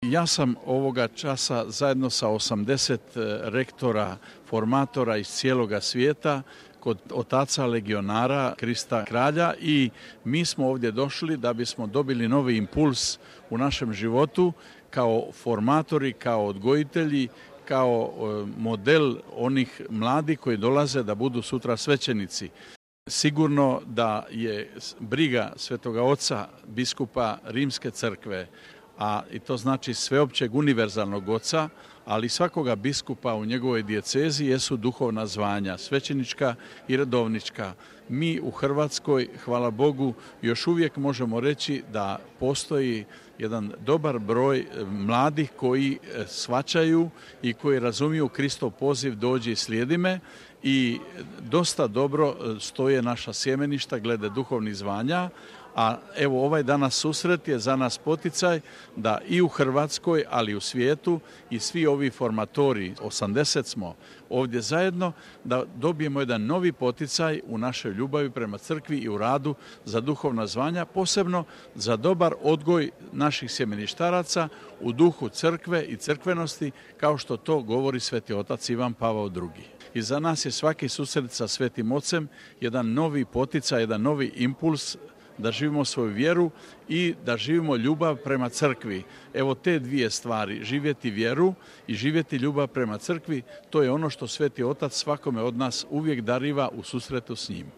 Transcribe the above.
Ja sam ovoga časa zajedno sa 80 rektora, formatora iz cijeloga svijeta kod otaca legionara Krista Kralja i mi smo ovdje došli da bismo dobili novi impuls u našem životu kao formatori, kao odgojitelji, kao model onih mladih koji dolaze da budu sutra svećenici. Sigurno da je briga Svetoga Oca, biskupa Rimske crkve, i to znači sveopćeg univerzalnog oca, ali svakoga biskupa u njegovoj dijecezi jesu duhovna zvanja, svećenička i redovnička. Mi u Hrvatskoj, hvala Bogu, još uvijek možemo reći da postoji jedan dobar broj mladih koji shvaćaju i koji razumiju Kristov poziv dođi i slijedi me i dosta dobro stoje naša sjemeništa glede duhovnih zvanja. A evo ovaj danas susret je za nas poticaj da i u Hrvatskoj, ali i u svijetu i svi ovi formatori, 80 smo ovdje zajedno, da dobijemo jedan novi poticaj u našoj ljubavi prema crkvi i u radu za duhovna zvanja, posebno za dobar odgoj naših sjemeništaraca u duhu crkve i crkvenosti, kao što to govori Sveti Otac Ivan Pavao II. I za nas je svaki susret sa Svetim Ocem jedan novi poticaj, jedan novi impuls da živimo svoju vjeru i da živimo ljubav prema crkvi. Evo te dvije stvari, živjeti vjeru i živjeti ljubav prema crkvi, to je ono što Sveti Otac svakome od nas uvijek dariva u susretu s njim.